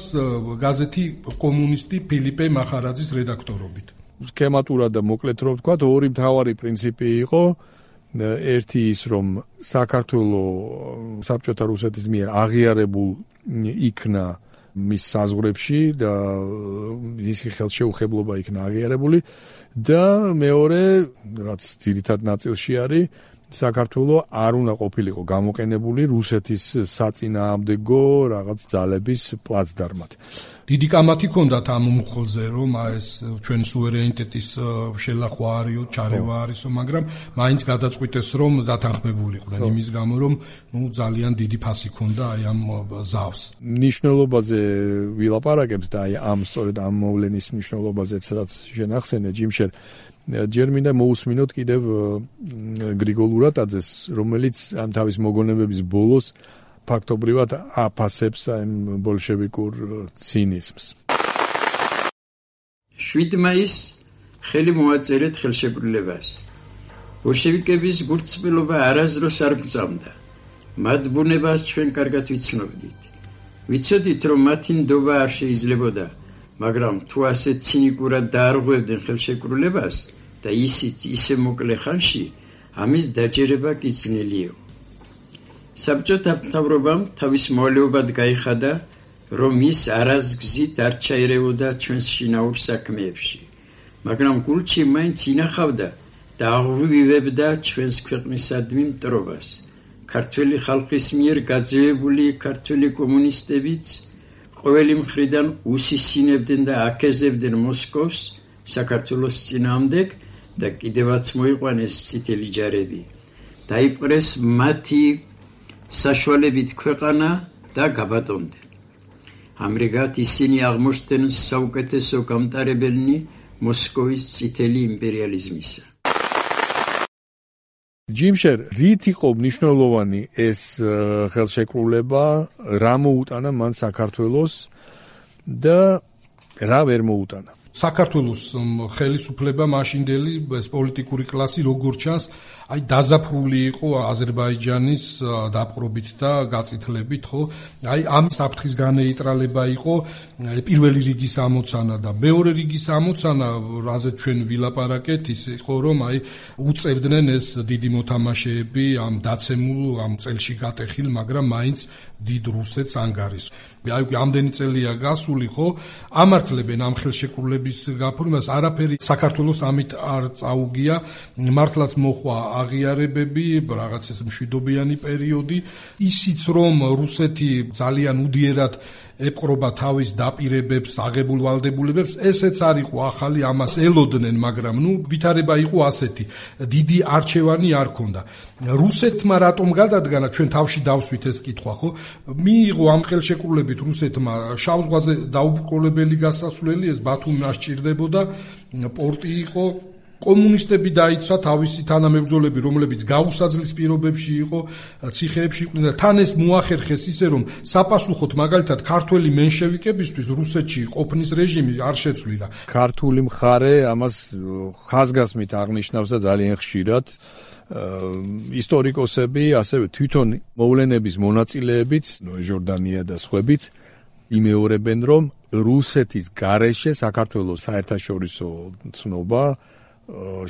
Speaker 2: გაზეთი კომუნისტი ფილიპე მახარაძის რედაქტორობით.
Speaker 1: სქემატურად და მოკლედ რომ ვთქვა, ორი მთავარი პრინციპი იყო. ერთი ის, რომ საქართველოს საბჭოთა რუსეთის მიერ აღიარებულ იქნა მის საზღვრებში და მისი ხელშეუხებლობა იქნა აღიარებული და მეორე, რაც ძირითად ნაწილში არის, საქართველოს არ უნდა ყოფილიყო გამოყენებული რუსეთის საწინააღმდეგო რაღაც ძალების პლაცდარმად.
Speaker 2: დიდი კამათი ჰქონდათ ამ მუხლზე, რომ ეს ჩვენ სუვერენიტეტის შელახვა არისო, ჩარევა არისო, მაგრამ მაინც გადაწყვიტეს, რომ დათანხმებულიყვნენ იმის გამო, რომ ძალიან დიდი ფასი ჰქონდა აი ამ ზავს.
Speaker 1: მნიშვნელობაზე ვილაპარაკებთ და აი სწორედ ამ მოვლენის მნიშვნელობაზეც რაც შენახსენე, ჯიმშერ, ჯერ მინდა მოусმინოთ კიდევ გრიგოლ ურატაძეს, რომელიც ამ თავის მოგონებების ბოლოს ფაქტობრივად აფასებს ამ ბოლშევიკურ ცინიზმს.
Speaker 4: 7 მაისს ხელი მოაწერეთ ხელშეკრულებას. ბოლშევიკების გულწრფელობა არასდროს არ გწამდა. მათ ბუნებას ჩვენ კარგად ვიცნობდით. ვიცოდით, რომ მათი ნდობა არ შეიძლებოდა, მაგრამ თუ ასე ცინიკურად დაარღვევდნენ ხელშეკრულებას და ისიც ისე მოკლე ხანში, ამის დაჯერება კი ძნელია. საბჭოთა მთავრობამ თავის მოვალეობად გაიხადა, რომ ის არასგზით არ ჩაერეოდა ჩვენს შინაურ საქმეებში, მაგრამ გულში მაინც ინახავდა და აღვივებდა ჩვენს ქვეყნისადმი მტრობას. ქართველი ხალხის მიერ გაძევებული ქართველი კომუნისტებიც ყოველი მხრიდან უსისინებდნენ და აკეზებდნენ მოსკოვს საქართველოს წინააღმდეგ და კიდევაც მოიყვანეს წითელი ჯარები. დაიპყრეს მათი საშუალებით ქვეყანა და გაბატონდნენ. ამრიგად ისინი აღმოჩნდნენ საუკეთესო გამტარებელნი მოსკოვის წითელი იმპერიალიზმისა.
Speaker 1: ჯიმშერ, რით იყო მნიშვნელოვანი ეს ხელშეკრულება, რა მოუტანა მან საქართველოს და რა ვერ მოუტანა?
Speaker 2: საქართველოს ხელისუფლება მაშინდელი ეს პოლიტიკური კლასი როგორ ჩანს, აი დაზაფრული იყო აზერბაიჯანის დაპყრობით და გაწითლებით, ხო? აი ამ საფრთხის განეიტრალება იყო პირველი რიგის ამოცანა და მეორე რიგის ამოცანა, რაზეც ჩვენ ვილაპარაკეთ, ის იყო რომ აი უწევდნენ ეს დიდი მოთამაშეები ამ დაცემულ ამ წელში გატეხილ, მაგრამ მაინც დიდ რუსეთს ანგარიშს. აი ამდენი წელია გასული, ხო? ამართლებენ ამ ხელშეკრულების გაფორმებას, არაფერი საქართველოს ამით არ წაუგია, მართლაც მოხვა აღიარებები, რაღაც ეს მშვიდობიანი პერიოდი, ისიც რომ რუსეთი ძალიან უდიერად ეპყრობა თავის დაპირებებს, აღებულ ვალდებულებებს, ესეც არ იყო ახალი, ამას ელოდნენ, მაგრამ ვითარება იყო ასეთი, დიდი არჩევანი არ ქონდა. რუსეთმა რატომ გადადგანა, ჩვენ თავში დავსვით ეს კითხვა, ხო? მიიღო ამ ხელშეკრულებით რუსეთმა შავ ზღვაზე დაუბრკოლებელი გასასვლელი, ეს ბათუმი ასჭირდებოდა, პორტი იყო. კომუნისტები დაიცვა თავისი თანამებრძოლები, რომლებიც გაუსაძლის პირობებში იყო, ციხეებში იყვნენ და თან ეს მოახერხეს ისე, რომ საპასუხოდ მაგალითად ქართველი მენშევიკებისთვის რუსეთში ყოფნის რეჟიმი არ შეცვლილა.
Speaker 1: ქართული მხარე ამას ხაზგასმით აღნიშნავს და ძალიან ხშირად ისტორიკოსები, ასევე თვითონ მოვლენების მონაწილეებიც, ჟორდანია და სხვაებიც იმეორებენ, რომ რუსეთის გარეშე საქართველოს საერთაშორისო ცნობა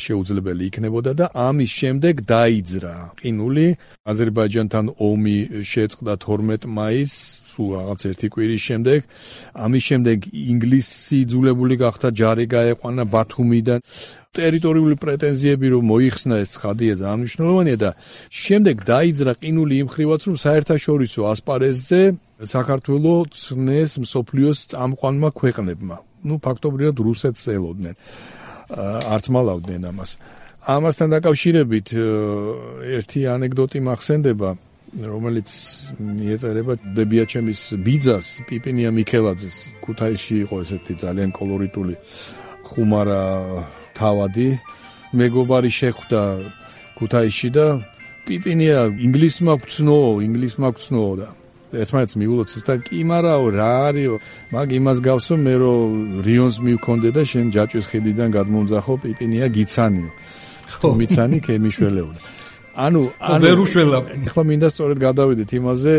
Speaker 1: შეუძლებელი იქნებოდა და ამის შემდეგ დაიძრა ყინული. აზერბაიჯანთან ომი შეწყდა 12 მაისს, სულ რაღაც ერთი კვირის შემდეგ. ამის შემდეგ ინგლისი იძულებული გახდა ჯარი გაეყვანა ბათუმიდან. ტერიტორიული პრეტენზიები რომ მოიხსნა ეს ცხადია ძალიან მნიშვნელოვანია და შემდეგ დაიძრა ყინული იმ ხრივაც რომ საერთაშორისო ასპარეზზე საქართველოს ცნეს მსოფლიოს წამყვანმა ქვეყნებმა. ფაქტობრივად რუსეთს ელოდნენ. არც მალავდნენ ამას. ამასთან დაკავშირებით ერთი ანეკდოტი მახსენდება, რომელიც მიეწერება დებიაჩემის ბიძას, პიპინია მიქელაძეს. ქუთაისში იყო ესეთი ძალიან კოლორიტული ხუმარა თავადი. მეგობარი შეხვდა ქუთაისში და პიპინია ინგლისმა გწნო და ერთმანეთს მიულოცეს და კი მარაო რა არისო, მაგ იმას გავსო მე რომ რიონს მივქონდე და შენ ჯაჭვის ხიდიდან გადმომძახო პიპინია გიცანიო. თუ მიცანი ქემიშველეო. ანუ
Speaker 2: ვერ უშველა.
Speaker 1: ახლა მინდა სწორედ გადავიდეთ იმაზე,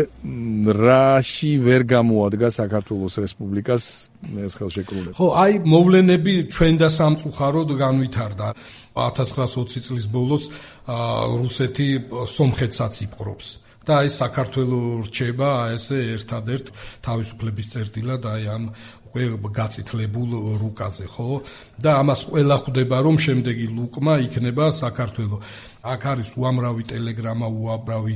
Speaker 1: რაში ვერ გამოადგა საქართველოს რესპუბლიკას ეს ხელშეკრულება.
Speaker 2: ხო, აი მოვლენები ჩვენ და სამწუხაროდ განვითარდა. 1920 წლის ბოლოს რუსეთი სომხეთსაც იპყრობს. და აი საქართველოს რჩება ესე ერთადერთ თავისუფლების წერტილად აი ამ უკვე გაწითლებულ რუკაზე, ხო? და ამას ყველა ხვდება, რომ შემდეგი ლუკმა იქნება საქართველოს. აქ არის უამრავი ტელეგრამა, უამრავი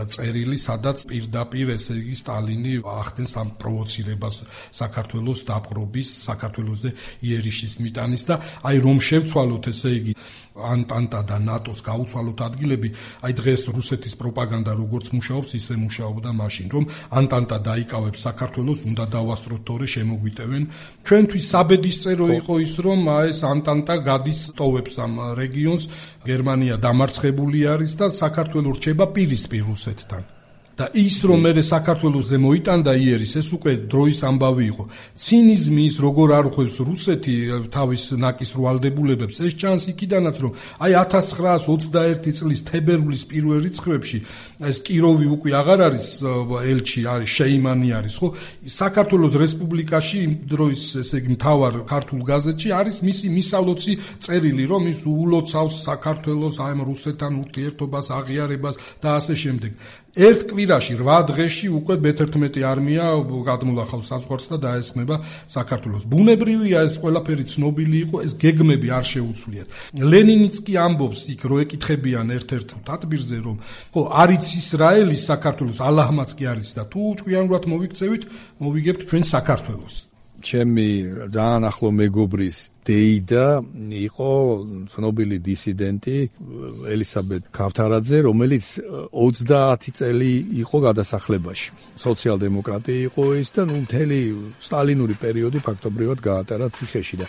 Speaker 2: წერილი, სადაც პირდაპირ ესე იგი სტალინი ახდენს ამ პროვოცირებას საქართველოს დაპყრობის, საქართველოსზე იერიშის მიტანის და აი რომ შევცვალოთ ესე იგი ანტანტა და ნატოს გაუცვალოთ ადგილები, აი დღეს რუსეთის პროპაგანდა როგორც მუშაობს, ისე მუშაობდა მაშინ, რომ ანტანტა დაიკავებს საქართველოს, უნდა დავასწროთ თორე შემოგვიტევენ. ჩვენთვის საბედისწერო იყო ის, რომ ეს ანტანტა გადის ტოვებს ამ რეგიონს, გერმანია დამარცხებული არის და საქართველოს რჩება პირისპირ რუსეთთან. და ის რომ მე საქართველოსზე მოიტანდა იერის, ეს უკვე დროის ამბავი იყო. ცინიზმი ის როგორ არ ხვევს რუსეთი თავის ნაკის რვალდებულებებს, ეს ჩანს იქიდანაც, რომ აი 1921 წლის თებერვლის პირველ რიცხვებში ეს კიროვი უკვე აღარ არის ელჩი, არის შეიმანი არის, ხო? საქართველოს რესპუბლიკაში იმ დროის ესე იგი მთავარ ქართულ გაზეთში არის მისი მისავლოცი წერილი, რომ ის ულოცავს საქართველოს აი რუსეთთან ურთიერთობას, აღიარებას და ასე შემდეგ. ერთ კვირაში 8 დღეში უკვე მე-11 არმია გადმოლახავს საზღვარს და დაესხმება საქართველოს. ბუნებრივია ეს ყველაფერი ცნობილი იყო, ეს გეგმები არ შეუცვლიათ. ლენინიც კი ამბობს იქ რო ეკითხებიან ერთ-ერთ თათბირზე, რომ ხო არის ისრაელის საქართველოს, ალაჰმაც კი არის და თუ ჭკვიანურად მოვიქცევით, მოვიგებთ ჩვენ საქართველოს.
Speaker 1: ჩემი ძალიან ახლო მეგობრის დეიდა იყო ცნობილი დისიდენტი ელისაბედ ქავთარაძე, რომელიც 30 წელი იყო გადასახლებაში. სოციალ-დემოკრატი იყო ის და მთელი სტალინური პერიოდი ფაქტობრივად გაატარა ციხეში და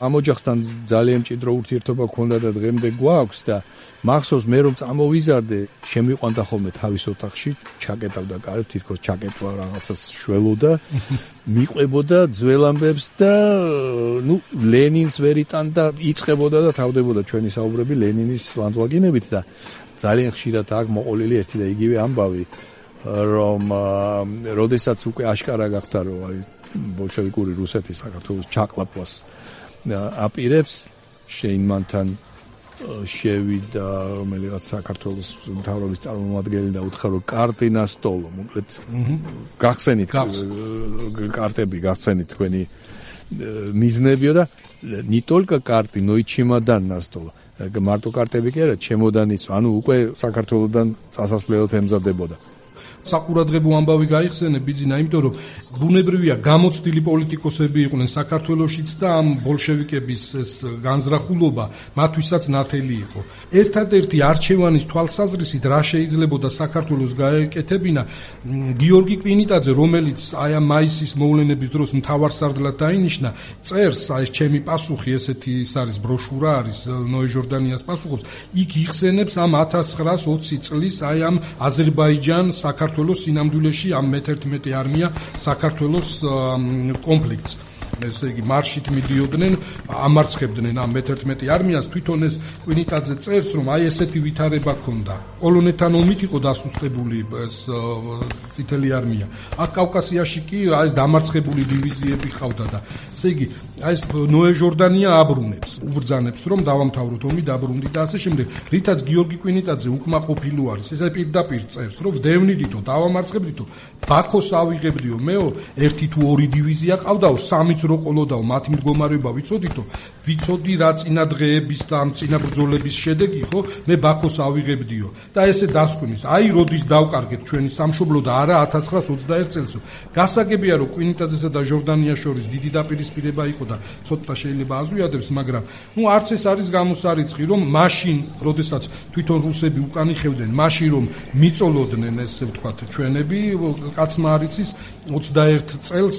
Speaker 1: ამ ოჯახთან ძალიან მჭიდრო ურთიერთობა გქონდა და დღემდე გვაქვს და მახსოვს მე რომ წამოვიზარდე, შემიყვანდა ხოლმე თავის ოთახში, ჩაკეტავდა კარებს, თითქოს ჩაკეტვა რაღაცას შველოდა, მიყვებოდა ძველ ამბებს და ლენინს ვერ იტანდა, იწყებოდა და თავდებოდა ჩვენი საუბრები ლენინის ლანძღვაგინებით და ძალიან ხშირად აქ მოყოლილი ერთი და იგივე ამბავი, რომ როდესაც უკვე აშკარა გახდა, რომ ბოლშევიკური რუსეთი საქართველოს ჩაყლაპვას აპირებს, შეინმანთან შევიდა რომელიღაც საქართველოს მთავრობის წარმომადგენელი და უთხრა რომ კარტი на стол, მოკლედ გახსენით კარტები, გახსენით თქვენი მიზნებიო და не только карты, но и чемодан на стол. მარტო კარტები კი არა, ჩემოდანიც, ანუ უკვე საქართველოსდან წასასვლელად ემზადებოდა.
Speaker 2: საყურადღებო ამბავი გაიხსენე ბიძინა, იმიტომ რომ ბუნებრივია გამოცდილი პოლიტიკოსები იყვნენ საქართველოშიც და ამ ბოლშევიკების ეს განზრახულობა მათთვისაც ნათელი იყო. ერთადერთი არჩევანის თვალსაზრისით რა შეიძლებოდა საქართველოს გაეკეთებინა, გიორგი კვინიტაძე, რომელიც აი ამ მაისის მოვლენების დროს მთავარსარდლად დაინიშნა, წერს აი ჩემი პასუხი, ესეთი ის არის ბროშურა არის ნოე ჟორდანიას პასუხობს, იქ იხსენებს ამ 1920 წლის აი ამ აზერბაიჯან საქართველოს სინამდვილეში ამ მე-11 არმია საქართველოს კონფლიქტს. ესე იგი მარშით მიდიოდნენ, ამარცხებდნენ ამ მე-11 არმიას, თვითონ ეს კვინიტაძე წერს, რომ აი ესეთი ვითარება ჰქონდა. პოლონეთთან ომით იყო დასუსტებული ეს წითელი არმია. აქ კავკასიაში კი აი ეს დამარცხებული დივიზიები ყავდა და ესე იგი აი ეს ნოე ჟორდანია აბრუნებს, უბრძანებს, რომ დავამთავროთ ომი, დაბრუნდით და ასე შემდეგ. რითაც გიორგი კვინიტაძე უკმაყოფილო არის, ესე პირდაპირ წერს, რომ ვდევნიდითო, დავამარცხებდითო, ბაქოს ავიღებდიო, მეო, ერთი თუ ორი დივიზია ყავდაო, სამიც რო ყოლოდაო, მათი მდგომარეობა ვიცოდითო, ვიცოდი რა წინა დღეების და ამ წინა ბრძოლების შედეგი ხო, მე ბაქოს ავიღებდიო. და ესე დასკვნის, აი როდის დავკარგეთ ჩვენი სამშობლო და არა 1921 წელსო. გასაგებია რომ კვინიტაძესა და ჟორდანიას შორის დიდი დაპირისპირება იყო და ცოტა შეიძლება აზვიადებს, მაგრამ არც ეს არის გამოსარიცხი, რომ მაშინ, როდესაც თვითონ რუსები უკან იხევდნენ, მაშინ რომ მიწოლოდნენ ესე ვთქვათ ჩვენები, კაცმა არ იცის 21 წელს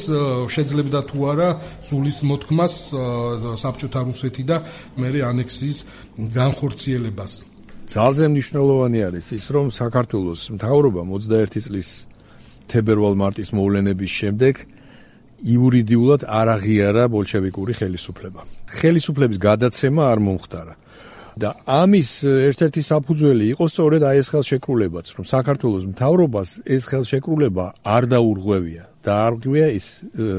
Speaker 2: შეძლებდა თუ არა სულის მოთქმას საბჭოთა რუსეთი და მერე ანექსიის განხორციელებას.
Speaker 1: ძალზე მნიშვნელოვანი არის ის, რომ საქართველოს მთავრობამ 21 წლის თებერვალ-მარტის მოვლენების შემდეგ იურიდიულად არ აღიარა ბოლშევიკური ხელისუფლება. ხელისუფლების გადაცემა არ მომხდარა. და ამის ერთ-ერთი საფუძველი იყო სწორედ აი ეს ხელშეკრულებაც, რომ საქართველოს მთავრობას ეს ხელშეკრულება არ დაურღვევია და არ გვია ის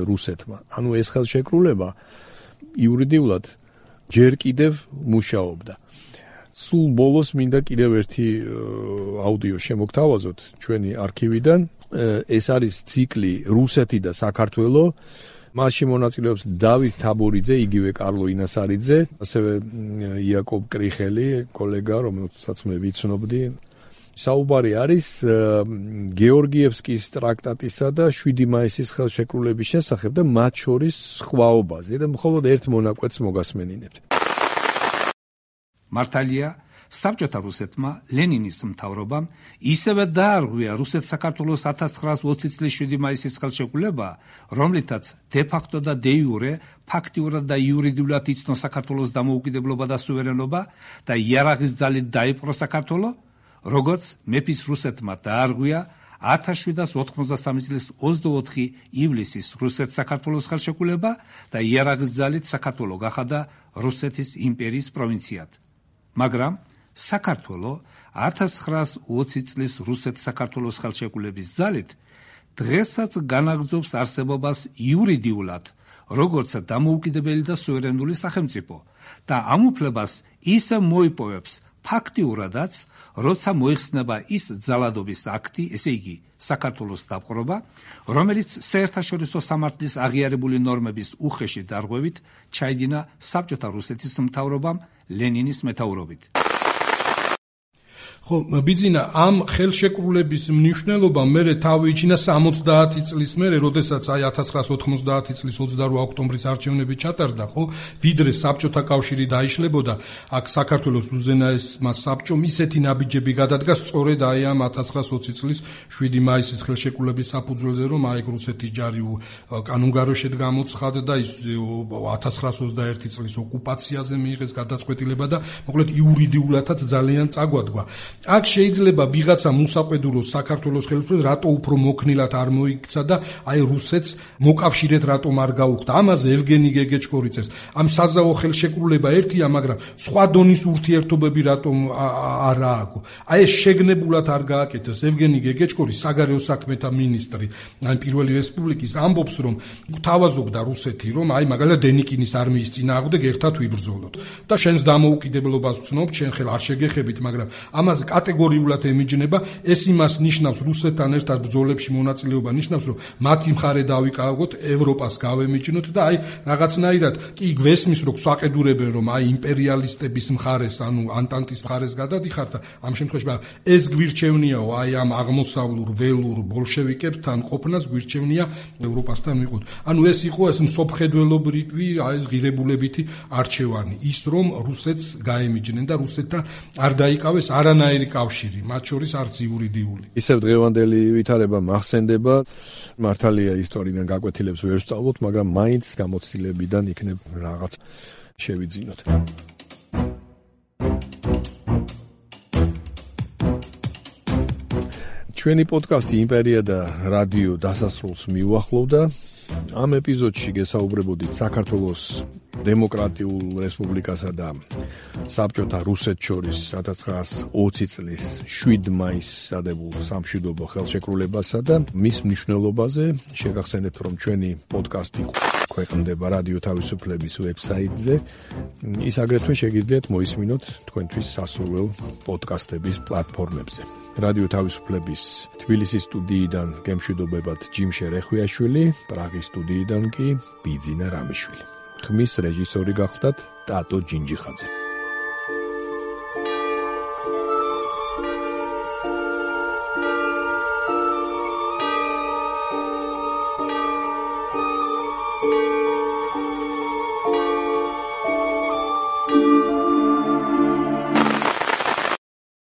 Speaker 1: რუსეთმა. ანუ ეს ხელშეკრულება იურიდიულად ჯერ კიდევ მუშაობდა. სულ ბოლოს მინდა კიდევ ერთი აუდიო შემოგთავაზოთ ჩვენი არქივიდან. ეს არის ციკლი რუსეთი და საქართველო. მასში მონაწილეობს დავით თაბორიძე, იგივე კარლო ინასარიძე, ასევე იაკობ კრიხელი, კოლეგა, რომელსაც მე ვიცნობდი. საუბარი არის გეორგიევსკის ტრაქტატისა და 7 მაისის ხელშეკრულების შესახებ და მათ შორის სხვაობაზე და მხოლოდ ერთ მონაკვეთს მოგასმენინებთ.
Speaker 5: მართალია, საბჭოთა რუსეთმა ლენინის მთავრობამ ისევე დაარღვია რუსეთ-საქართველოს 1920 წლის 7 მაისის ხელშეკრულება, რომლითაც დე-ფაქტო და დე-იურე ფაქტიურად და იურიდიულად იცნო საქართველოს დამოუკიდებლობა და სუვერენობა და იარაღის ძალით დაიპყრო საქართველო, როგორც მეფის რუსეთმა დაარღვია 1793 წლის 24 ივლისის რუსეთ-საქართველოს ხელშეკრულება და იარაღის ძალით საქართველო გახადა რუსეთის იმპერიის პროვინციად. მაგრამ საქართველო 1920 წლის რუსეთ-საქართველოს ხელშეკრულების ძალით დღესაც განაგრძობს არსებობას იურიდიულად, როგორც დამოუკიდებელი და სუვერენული სახელმწიფო და ამ უფლებას ისე მოიპოვებს ფაქტიურადაც, როცა მოიხსნება ის ძალადობის აქტი, ესე იგი საქართველოს დაპყრობა, რომელიც საერთაშორისო სამართლის აღიარებული ნორმების უხეში დარღვევით ჩაიდინა საბჭოთა რუსეთის მთავრობამ ლენინის მეთაურობით.
Speaker 2: ხო, ბიძინა, ამ ხელშეკრულების მნიშვნელობა მერე თავი იჩინა 70 წლის მერე, როდესაც აი 1990 წლის 28 ოქტომბრის არჩევნები ჩატარდა, ხო? ვიდრე საბჭოთა კავშირი დაიშლებოდა, აქ საქართველოს უზენაესმა საბჭომ ისეთი ნაბიჯები გადადგა სწორედ აი ამ 1920 წლის 7 მაისის ხელშეკრულების საფუძველზე, რომ აი რუსეთის ჯარი კანონგაროშედ გამოცხადდა, ის 1921 წლის ოკუპაციაზე მიიღეს გადაწყვეტილება და მოკლედ იურიდიულადაც ძალიან წაგვადგა. აქ შეიძლება ვიღაცა მოსაყვედუროს საქართველოს ხელისუფლებას რატო უფრო მოქნილად არ მოიქცა და აი რუსეთს მოკავშირედ რატომ არ გაუხდა. ამაზე ევგენი გეგეჭკორიცეს. ამ საზავო ხელშეკრულება ერთია, მაგრამ სხვა დონის ურთიერთობები რატომ არ ააგო. აი ეს შეგნებულად არ გააკეთეს. ევგენი გეგეჭკორი, საგარეო საქმეთა მინისტრი, ან პირველი რესპუბლიკის ამბობს, რომ გვთავაზობდა რუსეთი, რომ აი მაგალითად დენიკინის არმიის წინააღმდეგ ერთად ვიბრძოლოთ და შენს დამოუკიდებლობას ვცნობ, შენ ხელ არ შეგეხებით, მაგრამ ამაზე კატეგორიულად ემიჯნება. ეს იმას ნიშნავს, რუსეთთან ერთად ბრძოლებში მონაწილეობა ნიშნავს, რომ მათი მხარე დავიკავოთ, ევროპას გავემიჯნოთ და აი რაღაცნაირად კი გვესმის, რომ გვსაყედურებენ, რომ აი იმპერიალისტების მხარეს, ანუ ანტანტის მხარეს გადადიხართ და ამ შემთხვევაში ეს გვირჩევნიაო, აი ამ აღმოსავლურ ველურ ბოლშევიკებთან ყოფნას გვირჩევნია ევროპასთან ვიყოთ. ანუ ეს იყო ეს მსოფლმხედველობრივი, აი ეს ღირებულებითი არჩევანი, ის რომ რუსეთს გაემიჯნენ და რუსეთთან არ დაიკავეს არანაირი კავშირი, მათ შორის არც იურიდიული.
Speaker 1: ისევ დღევანდელი ვითარება მახსენდება, მართალია ისტორიიდან გაკვეთილებს ვერ ვსწავლოთ, მაგრამ მაინც გამოცდილებიდან იქნებ რაღაც შევიძინოთ. ჩვენი პოდკასტი იმპერია და რადიო დასასრულს მიუახლოვდა. ამ ეპიზოდში გესაუბრებოდით საქართველოს დემოკრატიულ რესპუბლიკასა და საბჭოთა რუსეთს შორის 1920 წლის 7 მაისს დადებულ სამშვიდობო ხელშეკრულებასა და მის მნიშვნელობაზე. შეგახსენებთ, რომ ჩვენი პოდკასტი ქვეყნდება რადიო თავისუფლების ვებსაიტზე. ის აგრეთვე შეგიძლიათ მოისმინოთ თქვენთვის სასურველ პოდკასტების პლატფორმებზე. რადიო თავისუფლების თბილისის სტუდიიდან გემშვიდობებათ ჯიმშე რეხვიაშვილი, პრაღის სტუდიიდან კი ბიძინა რამიშვილი. ხმის რეჟისორი გახდათ ტატო ჯინჯიხაძე.